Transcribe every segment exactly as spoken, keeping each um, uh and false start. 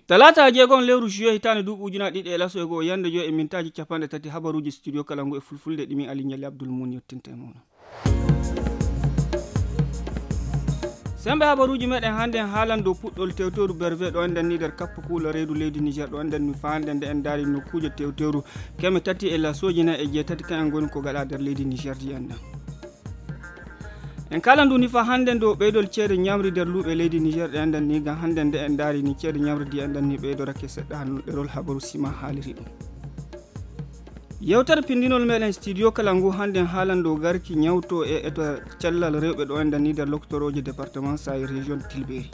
Talaata jeegom lewru juillet hitaande duuɓi ujunaaji ɗiɗi e laso e go'o, yande joy e mintaaji cappanɗe tati, habaruuji studio kala ngu e fulfulde ɗi min Ali Ɲalli Abdul Muun yottinta e mooɗon. Semmbe habaruuji meɗen hannde en haalan dow puɗɗol tewteeru Berve ɗo enɗen ni nder kappa kuula reedu leydi Niger ɗo enɗen ni faa hannde nde en ndaari nokkuuje tewteeru keme tati e lasooji nayi e jeetati kan en ngoni ko gaɗa nder leydi Niger ndi enɗen. En kaalan ndu ni faa hannde dow ɓeydol ceede ɲamri nder luuɓe leydi Niger ɗe enɗen ni ngam hannde nde en ndaari ni ceede ɲamri ndi enɗen ni ɓeydorake seɗɗa hano ɗerol habaru sima haaliri ɗum. Yewtere pindinol meɗen studio kala ngu hannde en haalan dow garki ɲawto e eto cellal rewɓe ɗo enɗen ni nder lokotorooje département Saï région Tilberi.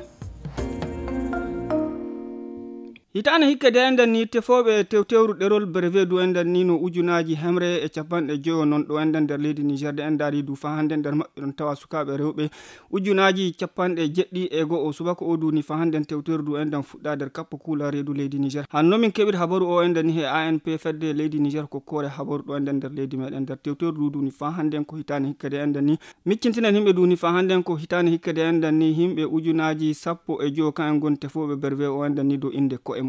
Hitaande hikka de enɗen ni tefooɓe tewtewru ɗerol Berve du enɗen ni no ujunaaji hemre e cappanɗe joyo non ɗo enɗen nder leydi Niger de en ndaari du faa hannde nder maɓɓe ɗon tawa sukaaɓe rewɓe ujunaaji cappanɗe jeɗɗi e go'o subaka o du ni faa hannde tewtewru du enɗen fuɗɗa nder kappa kuula reedu leydi Niger. Hanno min keɓir habaru o enɗen ni he A N P fedde leydi Niger ko koore habaru ɗo enɗen nder leydi meɗen nder tewtewru du du ni faa hannde ko hitaande hikka de enɗen ni Miccintinen himɓe du ni faa hannde ko hitaande hikka de enɗen ni himɓe ujunaaji sappo e joyo kan en ngoni tefooɓe Berve o enɗen ni dow innde ko'e muɓɓen.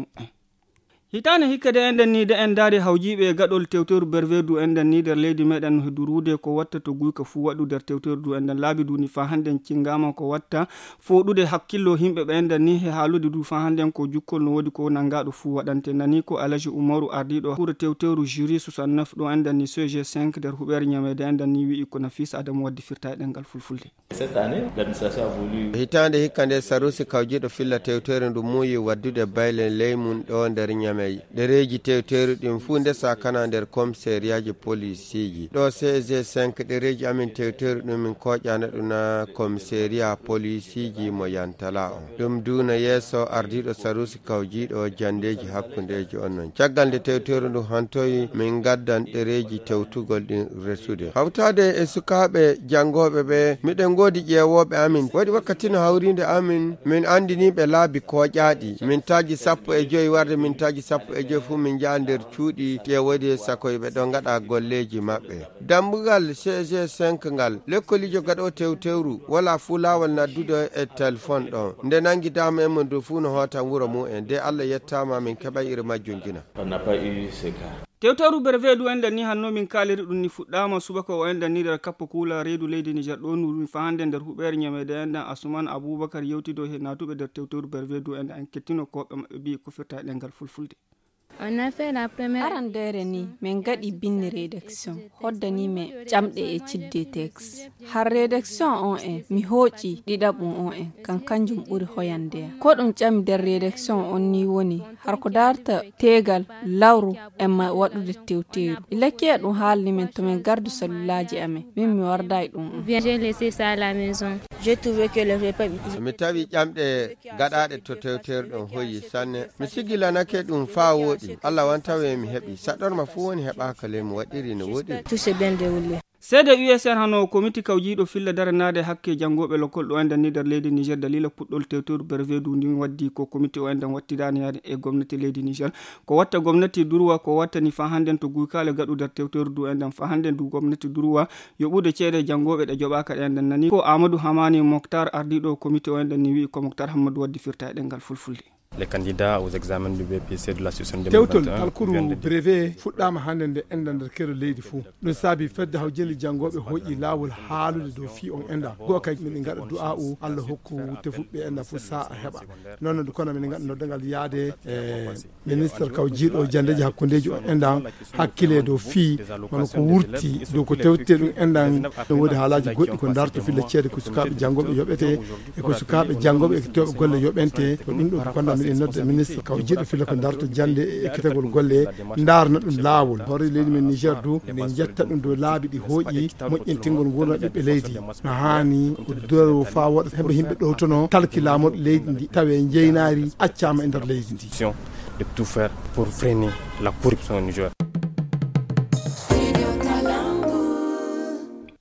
Hitaande hikka de enɗen ni de en ndaari hawjiiɓe e gaɗol tewtewru Berve du enɗen ni nder leydi meɗen no he duruude ko watta to guyka fuu waɗu nder tewtewru du enɗen laabi du ni faa hannde cingaama ko watta fooɗude hakkillo himɓe ɓe enɗen ni he haalude du faa hannde ko jukkol no woodi ko nanngaaɗo fuu waɗante nani ko Alaji Umaru ardiiɗo kuura tewtewru jury soixante-neuf ɗo enɗen ni C G cinq nder huɓeere ɲameede enɗen ni wi'i ko Nafis Adamu waddi firta e ɗemngal fulfulde. Cette année, l'administration a voulu. Hitaande hikka nde Sarusi kawjiiɗo filla tewteeri ndu muuyi waddude bayle ley mum ɗo nder Ɲamey. Ɗereeji tewteeri ɗin fuu ndesa kana nder komiseriyaaji polisiiji. Ɗo C G cinq ɗereeji amin tewteeri ɗum min kooƴana ɗum na komiseriya polisiiji mo Yantala on. Ɗum duuna yeeso ardiiɗo Sarusi kawjiiɗo janndeeji hakkundeeji on non. Caggal nde tewteeri ndu hantoyi, min ngaddan ɗereeji tewtugol ɗin resude. Hawtaade e sukaaɓe janngooɓe ɓe, miɗen ngoodi ƴeewooɓe amin. Waɗi wakkati no hawriinde amin, min anndinii ɓe laabi kooƴaaɗi. Mintaaji sappo e joy warde mintaaji sappo e joy fuu min njaha nder cuuɗi ƴeewoyde sakoy ɓe ɗo ngaɗa golleeji maɓɓe. Dambugal C G cinq ngal, lekkoliijo gaɗo tewtewru, wala fuu laawol naddude e telefon ɗon. Nde nanngi dama en mo ndu fuu no hootan wuro mum en. De Allah yettaama min keɓay iri majjum jina. On n'a pas eu ce cas. Tewtewru Berve du enɗen ni hanno min kaaliri ɗum ni fuɗɗaama subaka o enɗen ni nder kappa kuula reedu leydi Niger ɗo ndu ɗum faa hannde nder huɓeere ɲameede enɗen Asuman Abubakar yewtido he naatuɓe nder tewtewru Berve du enɗen en kettino ko ɓe maɓɓe mbi'i ko firta e ɗemngal fulfulde. On a fait la première. Arandeere ni, min ngaɗi binndi rédaction, hoddanii mi ƴamɗe e cidde texte. Har rédaction on en, mi hooƴi ɗiɗaɓum on en, kan kanjum ɓuri hoyande am. Ko ɗum ƴami nder rédaction on ni woni, har ko darta teegal, lawru, en ma waɗude tewteeru. Ilakkiya ɗum haalni min to min gardu salulaaji amen, min mi wardaay ɗum on. Bien, j'ai laissé ça à la maison. J'ai trouvé que le repas. Mi tawi ƴamɗe gaɗaaɗe to tewteeru ɗon hoyi sanne. Mi sigilanake ɗum faa wooɗi. Allah wantawe mi heɓi. Saɗɗorma fuu woni heɓaaka ley mo waɗiri no wooɗiri. Tout s'est bien déroulé. Seede U S R hano komiti kawjiiɗo filla daranaade hakke janngooɓe lokol ɗo enɗen ni nder leydi Niger daliila puɗɗol tewtewru Berve du ndin waddi ko komiti o enɗen wattidaani yaade e gomnati leydi Niger. Ko watta gomnati durwa ko wattani faa hannden to guykaale gaɗu nder tewtewru du enɗen faa hannden du gomnati durwa yoɓude ceede janngooɓe ɗe joɓaaka ɗe enɗen nani. Ko Amadou Hamani Moktar ardiiɗo komiti o enɗen ni wi'i ko Moktar Hammadu waddi firta e ɗemngal fulfulde. Les candidats aux examens du B P C de la session tewtol deux mille vingt et un talkuru viennent de brevet fuɗɗaama hannde nde enɗan nder keerol leydi fuu. Ɗum saabi fedde hawjeli janngooɓe hooƴi laawol haalude dow fii on enɗan. Goo kay miɗen ngaɗa du'aa'u Allah hokku tefuɓe enɗan fof sa'a heɓa. Noon no kono miɗen ngaɗa noddangal yaade e ministre kawjiiɗo janndeeji hakkundeeji on enɗan hakkile dow fii hono ko wurti dow ko tewtete ɗum enɗan. No woodi haalaaji goɗɗi ko darto filla ceede ko sukaaɓe janngooɓe yoɓete e ko sukaaɓe janngooɓe e toɓe golle yoɓente. Ko ɗum ɗo ko konda miɗen nodda ministre kawjiiɗo filla ko darto jannde e ekkitagol golle ndaarna ɗum laawol. Hoore leydi men Niger du eɗen njetta ɗum dow laabi ɗi hooƴi moƴƴintingol nguurndam ɓiɓɓe leydi. No haani ko doro faa woɗa heɓa yimɓe ɗowtono talki laamorɗo leydi ndi tawe njeynaari accaama e nder leydi ndi. De tout faire pour freiner la corruption au Niger.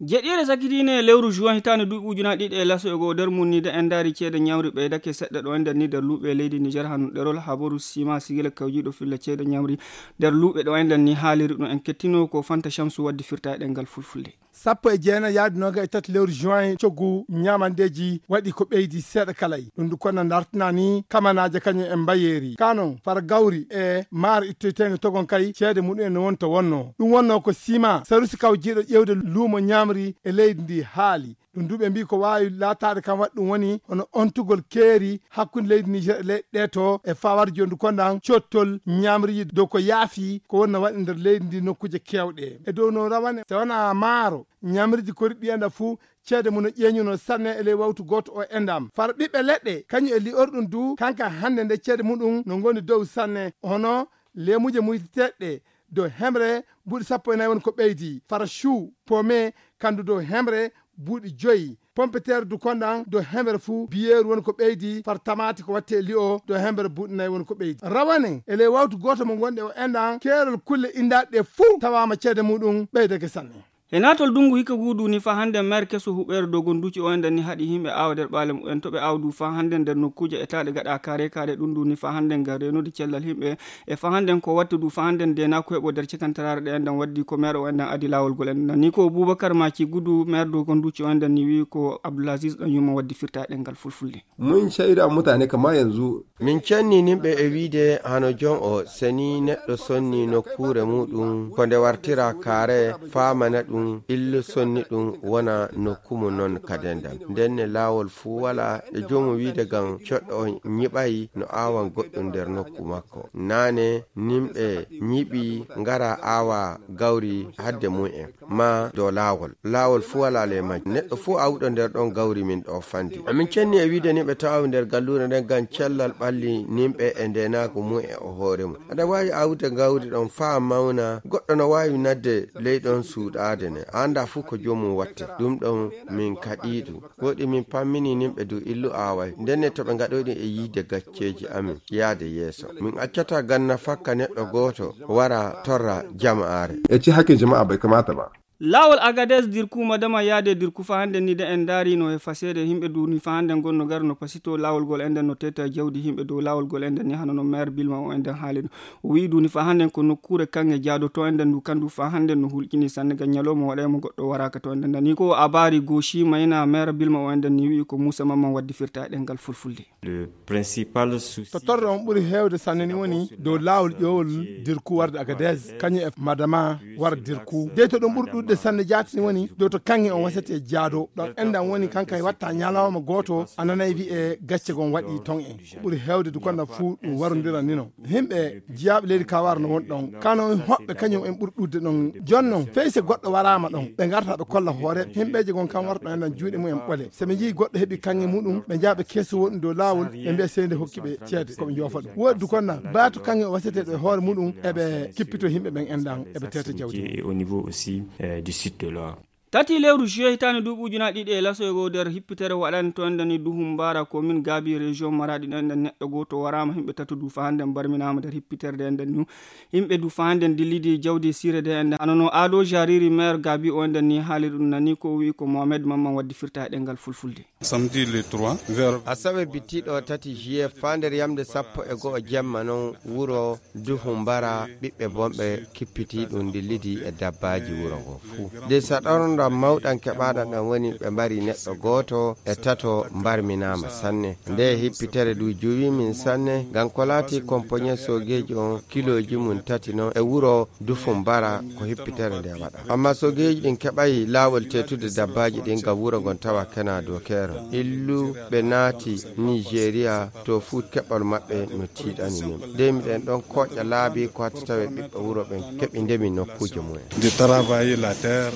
Jeɗɗiire sakitiine lewru juin hitaande duuɓi ujunaaji ɗiɗi e laso e goo, nder mum ni de en ndaari ceede ñamri ɓeydake seɗɗa ɗo e nder ni nder luuɓe leydi Niger, hano ɗerol habaru sima sigila kawjiiɗo filla ceede ñamri nder luuɓe ɗo e nder ni haaliri ɗum. En kettino ko Fanta Shamsu waddi firta e ɗemngal fulfulde. Sappo e jeenayi yaadu nooga e tati lewru juin, coggu ñaamandeeji waɗi ko ɓeydi seeɗa kalay. Ɗum ndu kono dartinani kamanaaje kañum e mbayeeri. Ka noon, fara gawri e maaro ittoyteende togon kay, ceede muɗum en no wonta wonno. Ɗum wonno ko sima, sarusi kawjiiɗo ƴeewde luumo ñaamri e leydi ndi haali. Ɗum du ɓe mbii ko waawi laataade kam waɗi ɗum woni hono ontugol keeri hakkunde leydi Niger e leyɗe ɗe to e fawar jondu kondan cottol ñaamri dow ko yaafi ko wonna waɗi nder leydi ndi nokkuuje keewɗe. E dow no rawane, so wonaa maaro, ñaamriji koriɗi enda fuu, ceede mum no ƴeeñuno sanne e ley wawtu gooto o endam. Fara ɓiɓɓe leɗɗe, kañum e li'orɗum du, kanka hannde nde ceede muɗum no ngoni dow sanne, hono leemuuje muyteteɗe, dow hemre buuɗi sappo e nayi woni ko ɓeydi. Fara chou, pomme, kandu dow hemre buuɗi joyi. Pompeteer du kondan dow hemre fuu, biyeeru woni ko ɓeydi. Fara tamaati ko watte e li'o, dow hemre buuɗi nayi woni ko ɓeydi. Rawane, e ley wawtu gooto mo ngonɗe o endan, keerol kulle indaaɗe ɗe fuu tawaama ceede muɗum ɓeydake sanne. E naatol dunngu hikka guudu ni fa hannde maire keso huɓeere dogon duci o enden ni haɗi yimɓe aawa nder ɓaale mumen to ɓe aawdu fa hannde nder nokkuuje e taaɗe gaɗa kaare kaare ɗum du ni fa hannde ngam reenude cellal yimɓe. E fa hannde ko watta du fa hannde nde na ko heɓo nder cekantaraare ɗe enden waddi ko maire o enden adi laawol gol enden ni ko Boubacar Maci Gudu maire dogon duci o enden ni wi ko Abdoulaziz ɗan yumma waddi firta e ɗemngal fulfulde. Mun shaida mutane kama yanzu. Min cenni nimɓe e wiide hano jon o seni neɗɗo sonni nokkuure muɗum ko nde wartira kaare faamana ɗum illu sonni ɗum wona nokku mum non ka dendal. Ndenne laawol fuu wala e joomu wiide gam coɗɗo on ñiɓay no aawan goɗɗum nder nokku makko. Naane nimɓe ñiɓi ngara aawa gawri hadde mum en. Ma dow laawol. Laawol fuu walaa ley majjum. Neɗɗo fuu awuɗo nder ɗon gawri min ɗoo fandi. Amin cenni e wiide ni ɓe tawawi nder galluure nden ngam cellal ɓalli nimɓe e ndeenaagu mum e o hoore mum. Aɗa waawi awude gawri ɗon faa mawna, goɗɗo no waawi nadde ley ɗon suuɗaade ne. A anndaa fuu ko joomum watte. Ɗum ɗon min kaɗii ɗum. Gooɗi min pammini nimɓe du illu aaway. Ndenne to ɓe ngaɗoyɗi e yiide gacceeji amin yaade yeeso. Min accataa ganna fakka neɗɗo gooto wara torra jama'aare. E ci hakkin jama'a bai kamata ba. Laawol Agadez dirku madama yaade dirku fa hannde ni de en ndaari no e faseede yimɓe duuni fa hannde ngonno gar no pasito laawol gol enden no teta jawdi yimɓe dow laawol gol enden ni hano no maire Bilma o enden haali ɗum. O wi'i duuni fa hannde ko nokkuure kaŋŋe jaadoto enden ndu kandu fa hannde no hulƴini sanne ga ñalawma waɗayma goɗɗo waraaka to enden nani ko abaari gooshi mayna maire Bilma o enden ni wi'i ko Muusa Mamman waddi firta e ɗemngal fulfulde. Le principal souci. To torre on ɓuri heewde sanne ni woni dow laawol ƴoowol dirku warde Agadez, kañum e madama war dirku. Dey to ɗum ɓuri ɗuɗde sanne jaati ni woni dow to kaŋŋe on wasete jaado. Ɗon endan woni kanka e watta ñalawma gooto a nanay wi'e gacce gon waɗi ton en. Ko ɓuri heewde du konda fuu ɗum warondira ni non. Himɓe jiyaaɓe leydi Kawar no won ɗon. Kano hoɓɓe kañum en ɓuri ɗuɗde ɗon. Jon non, fey se goɗɗo waraama ɗon, ɓe ngarta ɓe kolla hoore. Himɓeeje gon kam warta ɗon endan juuɗe mum en ɓole. Se ɓe njii goɗɗo heɓi kaŋŋe muɗum, ɓe njaa ɓe keesu woɗɗum dow laawol, ɓe mbiya sey nde hokki ɓe ceede, ko ɓe njoofa ɗum. Woodi du konna, baatu kaŋŋe o waseteeɗo e hoore muɗum, eɓe kippito yimɓe ɓen endan, eɓe teeta jawdi. Et au niveau aussi, euh, du sud de l'Or. Tati lewru juillet hitaande duuɓi ujunaaji ɗiɗi e laso e goo nder hippitere waɗani to enden ni Duhum Mbaara commune Gaabi région Maradi ɗo enden neɗɗo gooto waraama, yimɓe tato du fa hannde mbarminaama nder hippitere nde enden ni. Yimɓe du fa hannde dillidi jawdi siire nde enden. Hano no Ado Jariri maire Gaabi o enden ni haali ɗum nani ko o wi'i ko Mohamed Mamman waddi firta e ɗemngal fulfulde. Samedi le trois, vers. Asawe bittiɗo tati juillet faa nder yamde sappo e go'o jemma non wuro Duhu Mbara ɓiɓɓe bonɓe kippiti ɗum ndillidi e dabbaaji wuro ngo fuu. Nde saɗornda mawɗan keɓaaɗan ɗan woni ɓe mbari neɗɗo gooto e tato mbarminaama sanne. Nde hippitere du juwi min sanne, ngam ko laati kompoñe soogeeji on kilooji mum tati non e wuro Dufu Mbara ko hippitere nde waɗa. Amma soogeeji ɗin keɓay laawol teetude dabbaaji ɗin ngam wuro ngon tawa kena dokeero. Illu ɓe naati Nigeria to fuu keɓol maɓɓe no tiiɗani min. Nde miɗen ɗon kooƴa laabi ko hatti tawe ɓiɓɓe wuro ɓen keɓi ndemi nokkuuje mumen. De travailler la terre.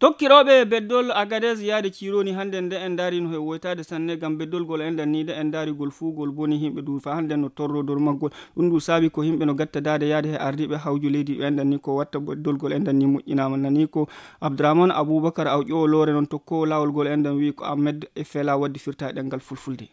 Tokkirooɓe beddol Agadez yaade Cironi hannde nde en ndaari no he woytaade sanne ngam beddolgol enden ni nde en ndaarigol fuu gol boni yimɓe du fa hannde no torro dow maggol. Ɗum du saabi ko yimɓe no gattadaade yaade he ardiiɓe hawju leydi enden ni ko watta beddolgol enden ni moƴƴinaama nani ko Abdourahmane Aboubakar Awƴo Loore noon tokkoowo laawol gol enden wi'i ko Ahmed e Fela waddi firta e ɗemngal fulfulde.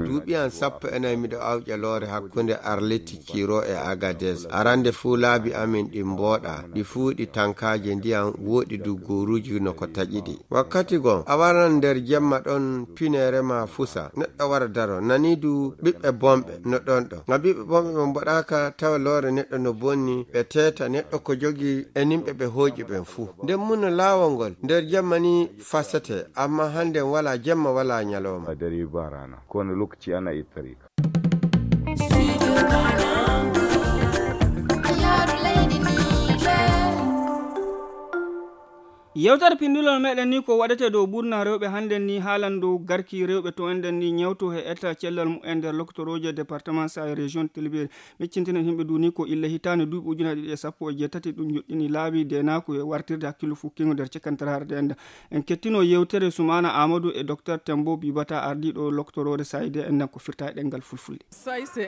Duuɓi am sappo e nayi miɗo awƴa loore hakkunde Arleti Kiro e Agades. Arande fuu laabi amin ɗi mbooɗa, ɗi fuu ɗi tankaaje ndiyam, wooɗi du gooruuji no ko taƴi ɗi. Wakkati goo, a waran nder jemma ɗon pineere ma fusa, neɗɗo wara daro, nani du ɓiɓɓe bonɓe no ɗon ɗon. Ngam ɓiɓɓe bonɓe ɓe mboɗaaka tawa loore neɗɗo no bonni, ɓe teeta neɗɗo ko jogi e nimɓe ɓe hooƴi ɓen fuu. Nden mun no laawol ngol nder jemma ni fasete, amma hande walaa jemma, walaa nyalooma. Kowane lokaci ana iya tare ka. Yewtere pindulol meɗen ni ko waɗete dow ɓurna rewɓe hannden ni, haalan dow garki rewɓe to enɗen ni ñawto he etta cellal mumen nder loktorooje département sa e région Tilbiri. Miccintinen himɓe duni ko illa hitaande duuɓi ujunaaji ɗiɗi e sappo e jeetati ɗum joɗɗini laabi deenaaku e wartirde hakkillo fukkingo nder cekantaraare nde enda. En kettino yewtere Sumaana Amadou e Docteur Tembo Bibata, ardiiɗo loktoroore Saide en nan ko firta e ɗemngal fulfulde.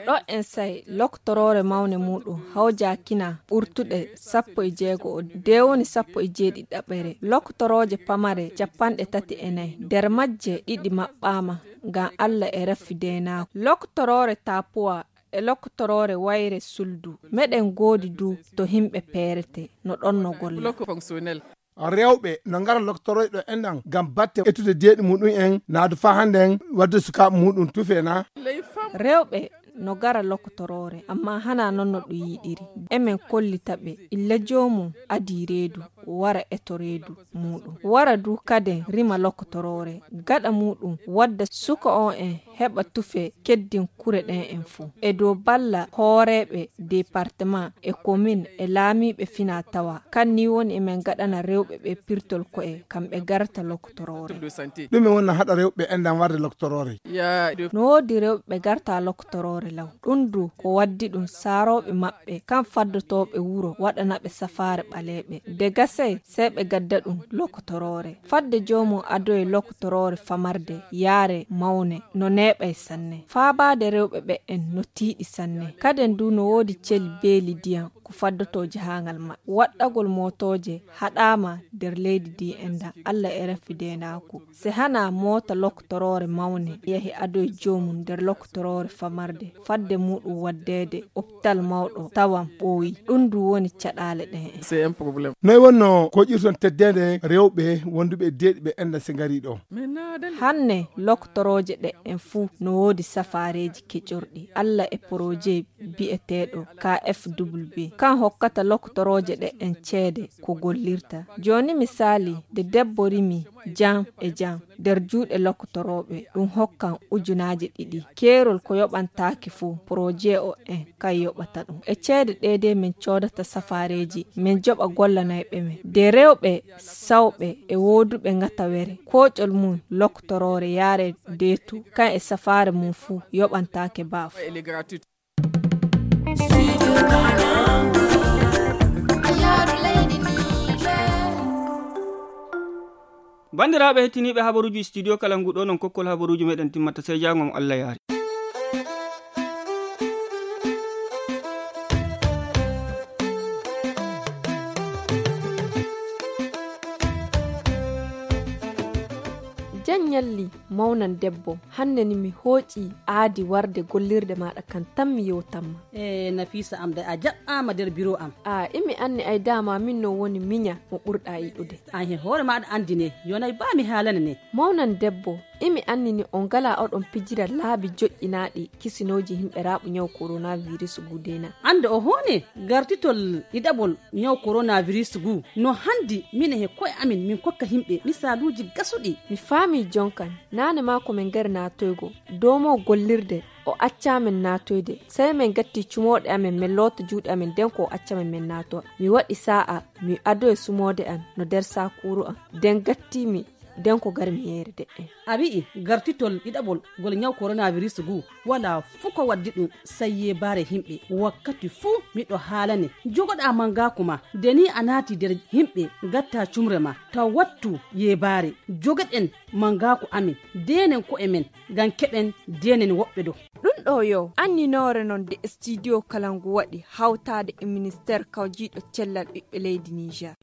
Ɗo en say loktoroore mawne muɗum hawjakina ɓurtuɗe sappo e jeego o de woni sappo e jeeɗiɗaɓere. Loktorooje pamare capanɗe tati e nayi, nder majje ɗiɗi maɓɓaama ngam Allah e raffi deenaaku. Loktoroore Tapuwa e loktoroore wayre suldu. Meɗen ngoodi du to himɓe peerete no ɗon no golla. Rewɓe no ngara loktorooje ɗo enɗan ngam batte ettude deeɗi muɗum en, naadu faa hannden wadde sukaaɓe muɗum tufe na? Rewɓe no ngara lokotoroore, ammaa hanaa non no ɗum yiɗiri. Emen kollita ɓe illa joomum adii reedu, wara eto reedu muɗum. Wara du kaden rima lokotoroore. Gaɗa muɗum wadda suka on en heɓa tufe keddin kure ɗen en fuu. E dow balla hooreeɓe departement e komin e laamiiɓe fina tawa. Kan ni woni emen gaɗana rewɓe ɓe pirtol ko'e kam ɓe garta lokotoroore. Ɗume woni no haɗa rewɓe enɗan warde lokotoroore? No woodi rewɓe ɓe garta lokotoroore law. Ɗum du ko waddi ɗum saarooɓe maɓɓe kam faddotooɓe wuro waɗana ɓe safaare ɓaleeɓe. De gasay sey ɓe gadda ɗum lokotoroore. Fadde joomum adoye lokotoroore famarde yaare mawne no neeɓay sanne. Faabaade rewɓe ɓe en no tiiɗi sanne. Kaden du no woodi cel beeli diyam ko faddotoo jahaangal maɓɓe. Waɗɗagol mootooje haɗaama nder leydi di enɗan. Allah e rafi deenaaku. Se hana moota lokotoroore mawne yahi adoye joomum nder lokotoroore famarde, fadde muɗum waddeede opital mawɗo tawan ɓooyi. Ɗum du woni caɗaale ɗen en. Noy wonno koƴirton teddeende rewɓe wonduɓe e deeɗi ɓe enɗan se ngari ɗo? Hanne lokotorooje ɗe en fuu no woodi safaareeji keƴorɗi. Allah e poroje bi'eteeɗo K F W kan hokkata lokotorooje ɗe en ceede ko gollirta. Jooni misaali, nde debbo rimi jam e jam nder juuɗe lokotorooɓe, ɗum hokkan ujunaaje ɗiɗi. Keerol ko yoɓantaake fuu, poroje o en kan yoɓata ɗum. E ceede ɗee de min coodata safaareeji, min joɓa gollanayɓe men. De rewɓe sawɓe e wooduɓe ŋatawere, kooƴol mum lokotoroore yaare deetu, kan e safaare mum fuu yoɓantaake baafo. Banndiraaɓe hettiniiɓe habaruuji studio kala ngu ɗo, non kokkol habaruuji meɗen timmata, sey jaango mo Allah yaari. Jan ñalli, mawnan debbo, hanne ni mi hooƴi aadi warde gollirde maaɗa kan tan mi yewtanma. E Nafisa am, de a jaɓɓaama nder biro am. A imi anni ay dama min no woni miña mo ɓurɗa yiɗude. An he hoore maaɗa anndi ne, yonay baa mi haalana ne. Mawnan debbo, imi anni ni on ngala oɗon pijira laabi joƴƴinaaɗi kisinooji himɓe raaɓu ñaw coronavirus guu de na? Annde o hoone gartitol ɗiɗaɓol ñaw coronavirus guu no hanndi mine he ko'e amin min kokka himɓe misaaluuji gasuɗi. Mi faami jonkan, naane maa ko min ngari naatoygo, doomo gollirde o accaa min naatoyde. Sey min gatti cumooɗe amin, min loota juuɗe amin, nden ko o acca min min naatowa. Mi waɗi saa'a, mi adoyi sumoode am no nder saakuuru am, nden gatti mi, nden ko gari mi yeere de'en. A wi'i gartitol ɗiɗaɓol ngol ñaw coronavirus guu, walaa fuu ko waddi ɗum, sey yeebaare himɓe. Wakkati fuu miɗo haalane, jogoɗaa mangaaku ma, nde nii a naati nder himɓe, ngattaa cumre ma, taw wattu yeebaare. Jogoɗen mangaaku amin, deenen ko'e men, ngam keɓen deenen woɓɓe ɗo. Ɗum ɗo yo anninoore non nde studio kala ngu waɗi hawtaade e ministeer kawjiiɗo cellal ɓiɓɓe leydi Niger.